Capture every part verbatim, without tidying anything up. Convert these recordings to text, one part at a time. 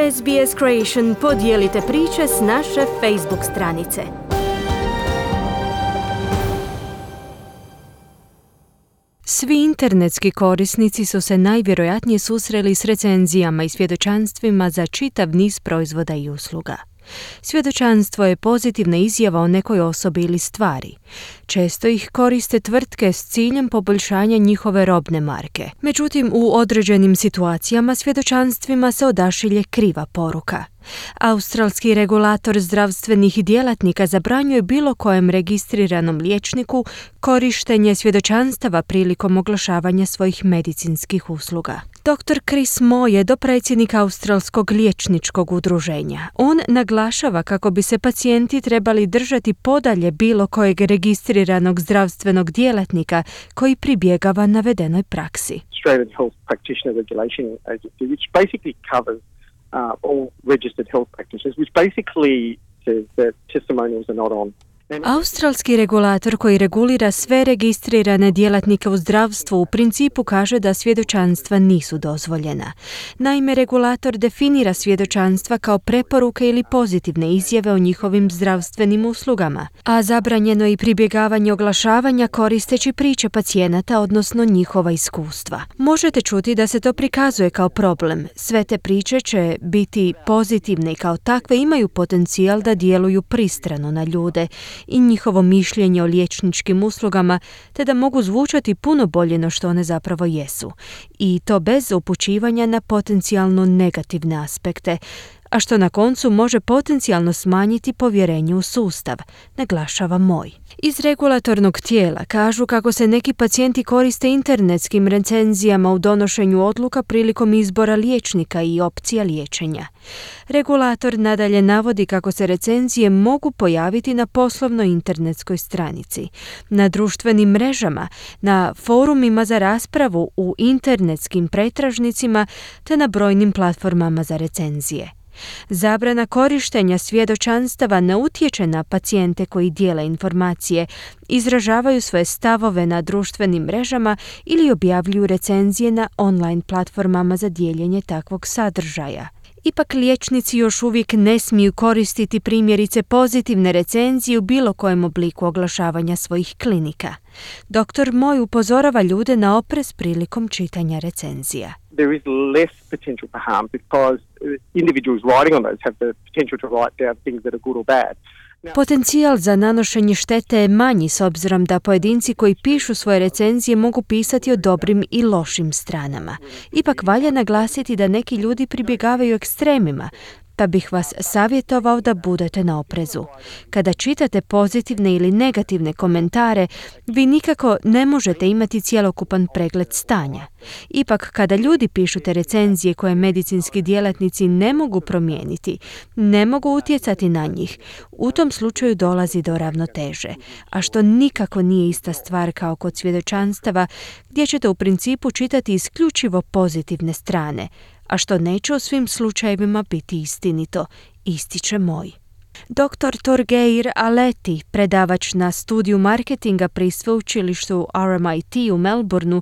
S B S Creation podijelite priče s naše Facebook stranice. Svi internetski korisnici su se najvjerojatnije susreli s recenzijama i svjedočanstvima za čitav niz proizvoda i usluga. Svjedočanstvo je pozitivna izjava o nekoj osobi ili stvari. Često ih koriste tvrtke s ciljem poboljšanja njihove robne marke. Međutim, u određenim situacijama svjedočanstvima se odašilje kriva poruka. Australski regulator zdravstvenih djelatnika zabranjuje bilo kojem registriranom liječniku korištenje svjedočanstava prilikom oglašavanja svojih medicinskih usluga. doktor Chris Moore je dopredsjednik Australskog liječničkog udruženja. On naglašava kako bi se pacijenti trebali držati podalje bilo kojeg registriranog zdravstvenog djelatnika koji pribjegava navedenoj praksi. Australian Health Practitioner Regulation Agency, which basically covers uh, all registered health practitioners, which basically says that testimonials are not on. Australski regulator koji regulira sve registrirane djelatnike u zdravstvu u principu kaže da svjedočanstva nisu dozvoljena. Naime, regulator definira svjedočanstva kao preporuke ili pozitivne izjave o njihovim zdravstvenim uslugama, a zabranjeno je i pribjegavanje oglašavanja koristeći priče pacijenata, odnosno njihova iskustva. Možete čuti da se to prikazuje kao problem. Sve te priče će biti pozitivne i kao takve imaju potencijal da djeluju pristrano na ljude i njihovo mišljenje o liječničkim uslugama, te da mogu zvučati puno bolje no što one zapravo jesu. I to bez upućivanja na potencijalno negativne aspekte, a što na koncu može potencijalno smanjiti povjerenje u sustav, naglašava Moj. Iz regulatornog tijela kažu kako se neki pacijenti koriste internetskim recenzijama u donošenju odluka prilikom izbora liječnika i opcija liječenja. Regulator nadalje navodi kako se recenzije mogu pojaviti na poslovnoj internetskoj stranici, na društvenim mrežama, na forumima za raspravu, u internetskim pretražnicima te na brojnim platformama za recenzije. Zabrana korištenja svjedočanstava ne utječe na pacijente koji dijele informacije, izražavaju svoje stavove na društvenim mrežama ili objavljuju recenzije na online platformama za dijeljenje takvog sadržaja. Ipak liječnici još uvijek ne smiju koristiti primjerice pozitivne recenzije u bilo kojem obliku oglašavanja svojih klinika. doktor Moj upozorava ljude na oprez prilikom čitanja recenzija. There is less potential for harm because individuals writing on those have the potential to write down things that are good or bad. Potencijal za nanošenje štete je manji s obzirom da pojedinci koji pišu svoje recenzije mogu pisati o dobrim i lošim stranama. Ipak valja naglasiti da neki ljudi pribjegavaju ekstremima, pa bih vas savjetovao da budete na oprezu. Kada čitate pozitivne ili negativne komentare, vi nikako ne možete imati cjelokupan pregled stanja. Ipak, kada ljudi pišu te recenzije koje medicinski djelatnici ne mogu promijeniti, ne mogu utjecati na njih, u tom slučaju dolazi do ravnoteže, a što nikako nije ista stvar kao kod svjedočanstava, gdje ćete u principu čitati isključivo pozitivne strane, a što neće u svim slučajevima biti istinito, ističe Moj. doktor Torgeir Aleti, predavač na studiju marketinga pri sveučilištu R M I T u Melbourneu,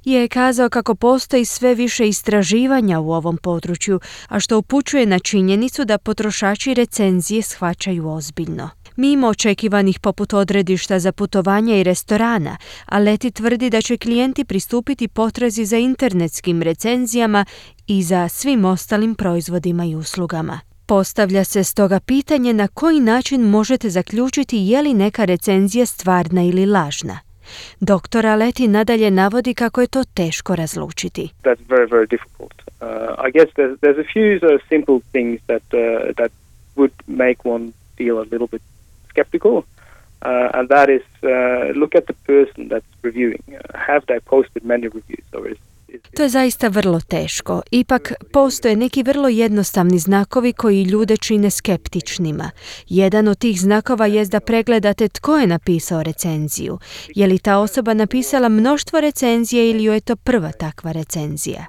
je kazao kako postoji sve više istraživanja u ovom području, a što upućuje na činjenicu da potrošači recenzije shvaćaju ozbiljno. Mimo očekivanih poput odredišta za putovanja i restorana, Aleti tvrdi da će klijenti pristupiti potrazi za internetskim recenzijama i za svim ostalim proizvodima i uslugama. Postavlja se stoga pitanje na koji način možete zaključiti je li neka recenzija stvarna ili lažna. doktor Aleti nadalje navodi kako je to teško razlučiti. That's very, very difficult. Uh, I guess there's, there's a few uh, simple things that, uh, that would make one feel a little bit skeptical, uh, and that is uh, look at the person that's reviewing. Uh, have they posted many reviews, or is To je zaista vrlo teško. Ipak postoje neki vrlo jednostavni znakovi koji ljude čine skeptičnima. Jedan od tih znakova je da pregledate tko je napisao recenziju. Je li ta osoba napisala mnoštvo recenzije ili joj je to prva takva recenzija?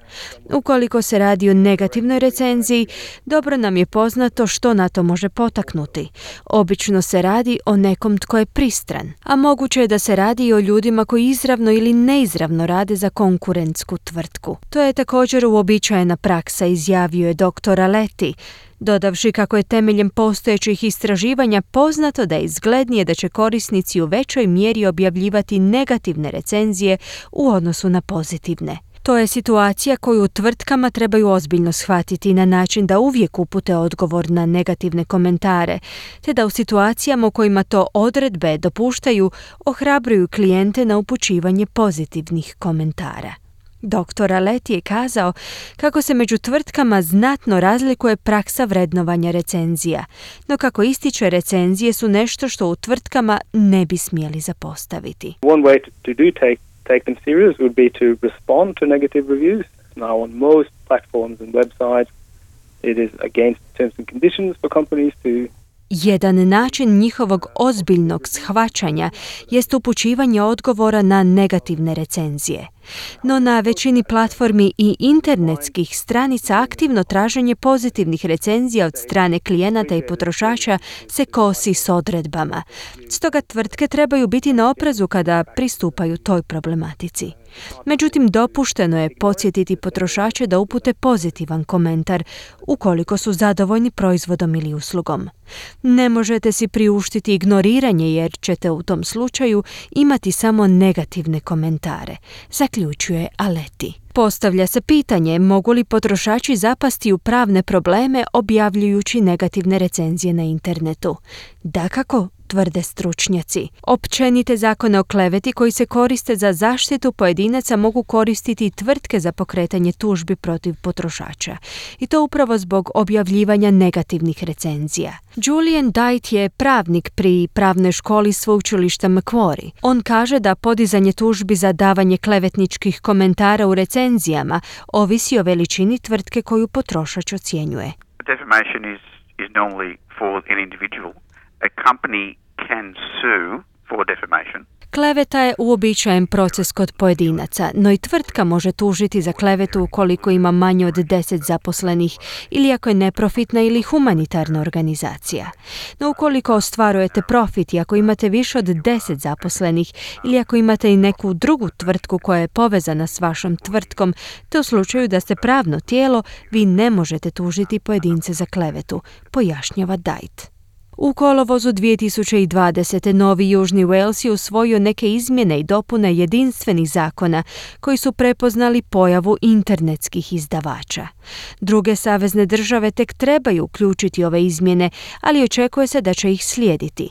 Ukoliko se radi o negativnoj recenziji, dobro nam je poznato što na to može potaknuti. Obično se radi o nekom tko je pristran, a moguće je da se radi i o ljudima koji izravno ili neizravno rade za konkurentsku tvrtku. tvrtku. To je također uobičajena praksa, izjavio je doktor Aletti, dodavši kako je temeljem postojećih istraživanja poznato da je izglednije da će korisnici u većoj mjeri objavljivati negativne recenzije u odnosu na pozitivne. To je situacija koju tvrtkama trebaju ozbiljno shvatiti na način da uvijek upute odgovor na negativne komentare, te da u situacijama u kojima to odredbe dopuštaju, ohrabruju klijente na upućivanje pozitivnih komentara. doktor Aletti je kazao kako se među tvrtkama znatno razlikuje praksa vrednovanja recenzija, no kako ističe, recenzije su nešto što u tvrtkama ne bi smjeli zapostaviti. One way to, to do take take them serious would be to respond to negative reviews. Now, on most platforms and websites, it is against terms and conditions for companies to Jedan način njihovog ozbiljnog shvaćanja jest upućivanje odgovora na negativne recenzije. No na većini platformi i internetskih stranica aktivno traženje pozitivnih recenzija od strane klijenata i potrošača se kosi s odredbama. Stoga tvrtke trebaju biti na oprezu kada pristupaju toj problematici. Međutim, dopušteno je podsjetiti potrošače da upute pozitivan komentar ukoliko su zadovoljni proizvodom ili uslugom. Ne možete si priuštiti ignoriranje jer ćete u tom slučaju imati samo negativne komentare, zaključuje Aletti. Postavlja se pitanje mogu li potrošači zapasti u pravne probleme objavljujući negativne recenzije na internetu. Dakako, tvrde stručnjaci. Općenite zakone o kleveti koji se koriste za zaštitu pojedinaca mogu koristiti tvrtke za pokretanje tužbi protiv potrošača. I to upravo zbog objavljivanja negativnih recenzija. Julian Dite je pravnik pri pravnoj školi sveučilišta Macquarie. On kaže da podizanje tužbi za davanje klevetničkih komentara u recenzijama ovisi o veličini tvrtke koju potrošač ocjenjuje. Defamation is, is normally for an individual. A company can sue for defamation. Kleveta je uobičajen proces kod pojedinaca, no i tvrtka može tužiti za klevetu ukoliko ima manje od deset zaposlenih ili ako je neprofitna ili humanitarna organizacija. No ukoliko ostvarujete profit i ako imate više od deset zaposlenih ili ako imate i neku drugu tvrtku koja je povezana s vašom tvrtkom, te u slučaju da ste pravno tijelo, vi ne možete tužiti pojedince za klevetu, pojašnjava Dite. U kolovozu dvije tisuće dvadesete. Novi Južni Wales je usvojio neke izmjene i dopune jedinstvenih zakona koji su prepoznali pojavu internetskih izdavača. Druge savezne države tek trebaju uključiti ove izmjene, ali očekuje se da će ih slijediti.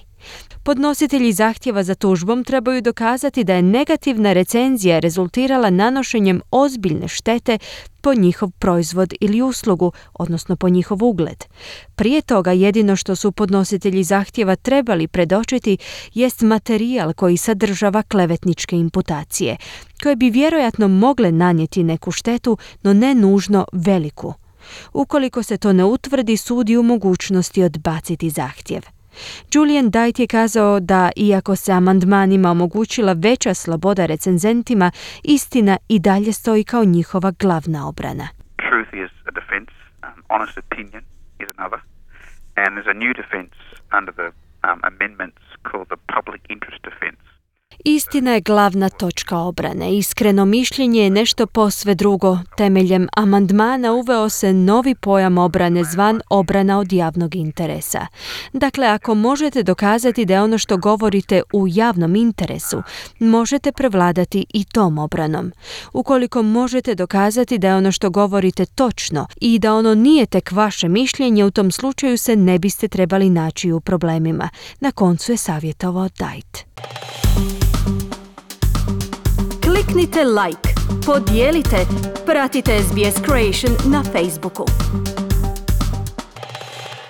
Podnositelji zahtjeva za tužbom trebaju dokazati da je negativna recenzija rezultirala nanošenjem ozbiljne štete po njihov proizvod ili uslugu, odnosno po njihov ugled. Prije toga jedino što su podnositelji zahtjeva trebali predočiti jest materijal koji sadržava klevetničke imputacije, koje bi vjerojatno mogle nanijeti neku štetu, no ne nužno veliku. Ukoliko se to ne utvrdi, sud je u mogućnosti odbaciti zahtjev. Julian Dite je kazao da, iako se amandmanima omogućila veća sloboda recenzentima, istina i dalje stoji kao njihova glavna obrana. Truth is a defense, um, honest opinion is another, and there's a new defense under the um, amendments called the public interest defense. Istina je glavna točka obrane. Iskreno mišljenje je nešto posve drugo. Temeljem amandmana uveo se novi pojam obrane zvan obrana od javnog interesa. Dakle, ako možete dokazati da je ono što govorite u javnom interesu, možete prevladati i tom obranom. Ukoliko možete dokazati da je ono što govorite točno i da ono nije tek vaše mišljenje, u tom slučaju se ne biste trebali naći u problemima. Na koncu je savjetovao Dite. Kliknite like, podijelite, pratite S B S Creation na Facebooku.